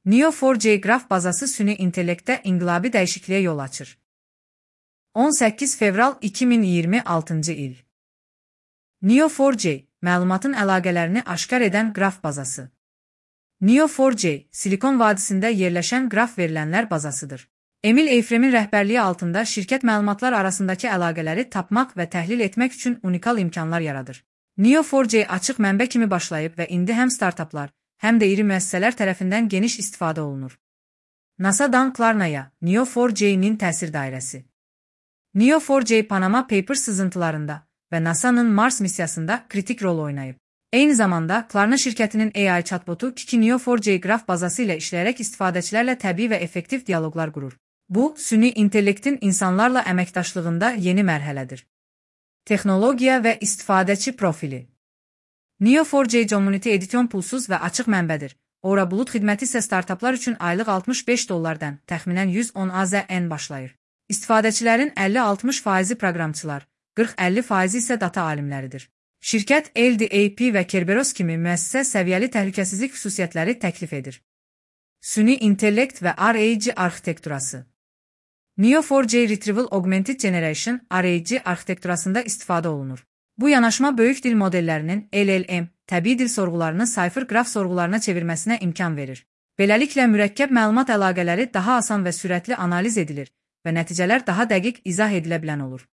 Neo4j qraf bazası süni intellektdə inqilabi dəyişikliyə yol açır. 18 fevral 2026-cı il. Neo4j, məlumatın əlaqələrini aşkar edən qraf bazası. Neo4j, Silikon vadisində yerləşən qraf verilənlər bazasıdır. Emil Eifremin rəhbərliyi altında şirkət məlumatlar arasındakı əlaqələri tapmaq və təhlil etmək üçün unikal imkanlar yaradır. Neo4j açıq mənbə kimi başlayıb və indi həm startaplar, həm də iri müəssisələr tərəfindən geniş istifadə olunur. NASA-dan Klarnaya, Neo4j-nin təsir dairəsi. Neo4j Panama Papers sızıntılarında və NASA-nın Mars missiyasında kritik rol oynayıb. Eyni zamanda, Klarna şirkətinin AI chatbotu Kiki Neo4j qraf bazası ilə işləyərək istifadəçilərlə təbii və effektiv dialoqlar qurur. Bu, süni intellektin insanlarla əməkdaşlığında yeni mərhələdir. Texnologiya və istifadəçi profili. Neo4j Community Edition pulsuz və açıq mənbədir. Aura bulut xidməti isə startaplar üçün aylıq $65-dən təxminən 110 AZN başlayır. İstifadəçilərin 50-60% proqramçılar, 40-50% isə data alimləridir. Şirkət LDAP və Kerberos kimi müəssisə səviyyəli təhlükəsizlik xüsusiyyətləri təklif edir. Süni intellekt və RAG arxitekturası. Neo4j Retrieval Augmented Generation RAG arxitekturasında istifadə olunur. Bu yanaşma böyük dil modellərinin LLM, təbii dil sorğularını sayfır qraf sorğularına çevirməsinə imkan verir. Beləliklə, mürəkkəb məlumat əlaqələri daha asan və sürətli analiz edilir və nəticələr daha dəqiq izah edilə bilən olur.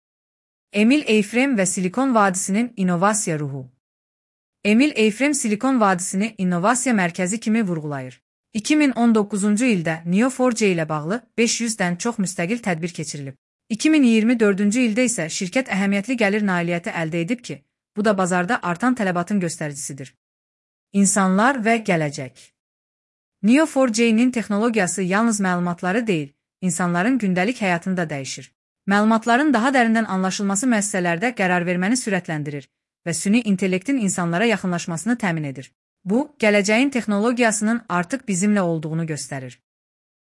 Emil Eifrem və Silikon vadisinin innovasiya ruhu. Emil Eifrem Silikon vadisini innovasiya mərkəzi kimi vurğulayır. 2019-cu ildə Neo4j ilə bağlı 500-dən çox müstəqil tədbir keçirilib. 2024-cü ildə isə şirkət əhəmiyyətli gəlir nailiyyəti əldə edib ki, bu da bazarda artan tələbatın göstəricisidir. İnsanlar və gələcək. Neo4j-nin texnologiyası yalnız məlumatları deyil, insanların gündəlik həyatını da dəyişir. Məlumatların daha dərindən anlaşılması müəssisələrdə qərar verməni sürətləndirir və süni intellektin insanlara yaxınlaşmasını təmin edir. Bu, gələcəyin texnologiyasının artıq bizimlə olduğunu göstərir.